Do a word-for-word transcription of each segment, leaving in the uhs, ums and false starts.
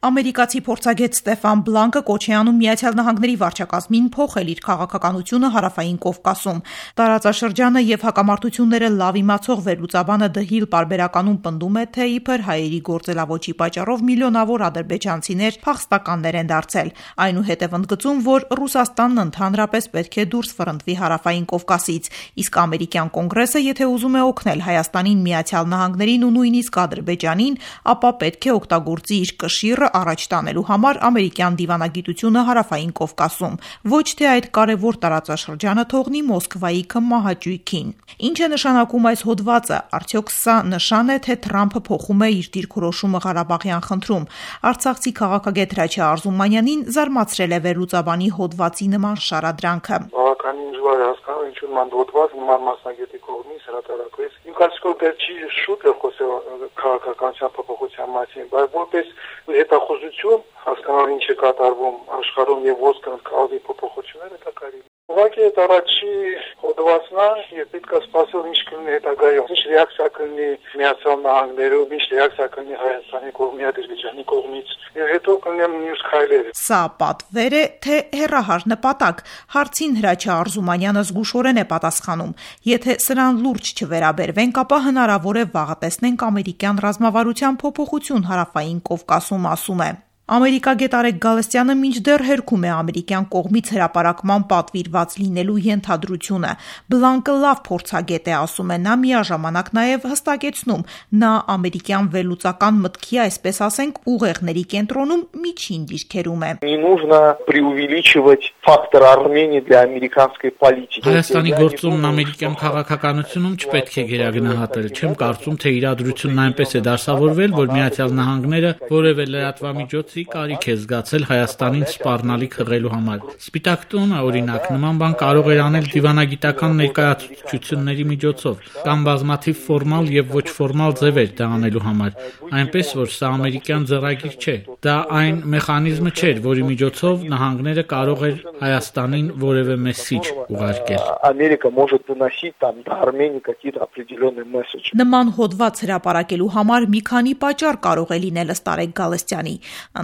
Ամերիկացի փորձագետ Ստեֆան Բլանկը կոչ է անում Միացյալ Նահանգների վարչակազմին փոխել իր քաղաքականությունը Հարավային Կովկասում։ Տարածաշրջանը եւ հակամարտությունները լավ իմացող վերլուծաբանը Դը Հիլ պարբերականում պնդում է, թե իբր հայերի գործելավոճի պատճառով միլիոնավոր ադրբեջանցիներ փախստականներ են դարձել։ Այնուհետև ընդգծում, որ Ռուսաստանն ընդհանրապես պետք է դուրս ֆռնդվի Հարավային Կովկասից, իսկ ամերիկյան կոնգրեսը, եթե ուզում է օգնել Հայաստանին, Միացյալ Նահանգներին ու նույնիսկ Ադրբեջանին, ապա պետք է օգտագործի իր կշիռը առաջ տանելու համար ամերիկյան դիվանագիտությունը Հարավային Կովկասում, ոչ թե այդ կարևոր տարածաշրջանը թողնի Մոսկվայի քմահաճույքին։ Ինչ է նշանակում այս հոդվածը, արդյոք սա նշան է, թե Թրամփը փոխում է իր դիրքորոշումը Ղարաբաղյան խնդրում։ Արցախցի քաղաքագետ Հրաչյա Արզումանյանին զարմացրել է վերլուծաբանի հոդվածի նման շարադրանքը։ Բավականին դժվար է հասկանալ, ինչու նման հոդված նման մասնագետի կողմից հրատարակվեց։ Իմ կարծիքով դեռ չի շուտ է խոսել քաղաքականության փոփոխության մասին, բայց որպես հետախուզություն հասկանալ ինչ է կատարվում աշխարհում եւ ոսկր կազմի փոփոխությունները դա կարելի է։ Ուղղակի այդ առաջի հոդվածն է եւ պետք է սպասել ինչ կլինի հետագայում, ինչ ռեակցիա կլինի Միացյալ Նահանգներում, ինչ ռեակցիա կլինի Հայաստանի կողմից, Ադրբեջանի կողմից եւ հետո կլինեն մյուս քայլերը։ Սա պատվեր է, թե հեռահար նպատակ։ Հարցին Հրաչյա Արզումանյանը զգուշորեն է պատասխանում. եթե սրան լուրջ չվերաբերվենք, ապա հնարավոր է վաղը տեսնենք ամերիկյան ռազմավարության փոփոխություն Հարավային Կովկասում, ասում է։ Ամերիկագետ Արեգ Գալստյանը մինչդեռ հերքում է ամերիկյան կողմից հրապարակման պատվիրված լինելու ենթադրությունը։ Բլանկը լավ փորձագետ է, ասում է նա, միաժամանակ նաև հստակեցնում, նա ամերիկյան վերլուծական մտքի, այսպես ասենք, ուղեղների կենտրոնում միջին դիրքերում է։ Не нужно преувеличивать фактор Армении для американской политики։ Հայաստանի գործումն ամերիկյան քաղաքականությունում չպետք է գերագնահատել։ Չեմ կարծում, թե իրադրությունն այնպես է դասավորվել, որ Միացյալ Նահանգները որևէ լրատվամիջոցի կարիք է զգացել Հայաստանին սպառնալիք հղելու համար։ Սպիտակ տունը, օրինակ, նման բան կարող էր անել դիվանագիտական ներկայացուցչությունների միջոցով, կամ բազմաթիվ ֆորմալ եւ ոչ ֆորմալ ձևեր դա անելու համար, այնպես որ սա ամերիկյան ձեռագիր չէ։ Դա այն մեխանիզմը չէր, որի միջոցով նահանգները կարող էր Հայաստանին որևէ մեսիջ ուղարկել։ Ամերիկա может доносить там до Армении какие-то определенные месседжи։ Նման հոդված հրապարակելու համար մի քանի պատճառ կարող է լինել ըստ Արեգ Գալստյանի։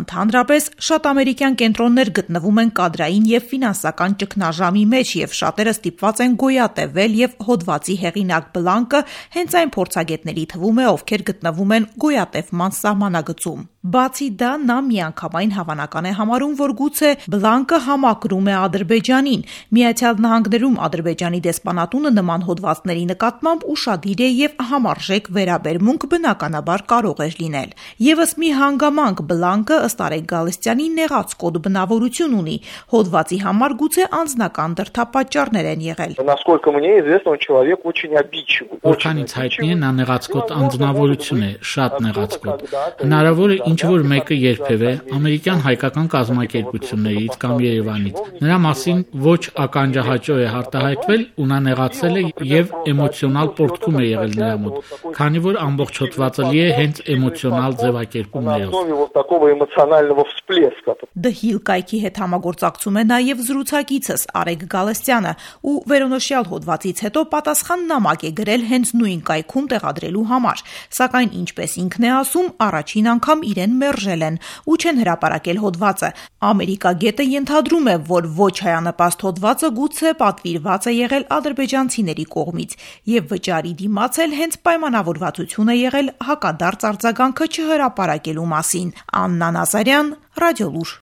Ընդհանրապես, շատ ամերիկյան կենտրոններ գտնվում են կադրային եւ ֆինանսական ճգնաժամի մեջ եւ շատերը ստիպված են գոյատևել եւ հոդվածի հեղինակ Բլանկը հենց այն փորձագետների թվում է, ովքեր գտնվում են գոյատևման սահմանագծում։ Բացի դա, նա միանգամայն հավանական է համարում, որ գուցե Բլանկը համակրում է Ադրբեջանին։ Միացյալ Նահանգներում Ադրբեջանի դեսպանատունը նման հոդվածների նկատմամբ ուշադիր է եւ համարժեք վերաբերմունք բնականաբար կարող է լինել։ Եվս մի հանգամանք Բլանկը ըստ Արեգ Գալստյանի նեղաց կոդ բնավորություն ունի։ Հոդվածի համար գուցե անձնական դրդապատճառներ են եղել։ Насколько мне известно, он человек очень обидчивый։ Որքանից հայտնի է, նա նեղաց կոդ անձնավորություն է, շատ նեղաց կոդ։ Հնարավոր է ինչ որ մեկը երբևէ ամերիկյան հայկական կազմակերպություններից կամ Երևանից նրա մասին ոչ ականջահաճո է հարտահայտվել ու նա նեղացել է եւ էմոցիոնալ պորտքում է եղել նրա մոտ, քանի որ ամբողջ հոդվածը լի է հենց էմոցիոնալ ձևակերպումներով։ Դը Հիլ կայքի հետ համագործակցում է նաև զրուցակիցս Արեգ Գալստյանը ու վերոնշյալ հոդվածից հետո պատասխան նամակ է գրել հենց նույն կայքում տեղադրելու համար, սակայն ինչպես ինքն է ասում, առաջին անգամ իրեն մերժել են ու չեն հրապարակել հոդվածը։ Ամերիկագետը ենթադրում է, որ ոչ հայանպաստ հոդվածը գուցե պատվիրված է եղել ադրբեջանցիների կողմից եւ վճարի դիմաց էլ հենց պայմանավորվածություն է եղել հակադարձ արձագանքը չհրապարակելու մասին։ Աննա Նազարյան, Ռադիոլուր։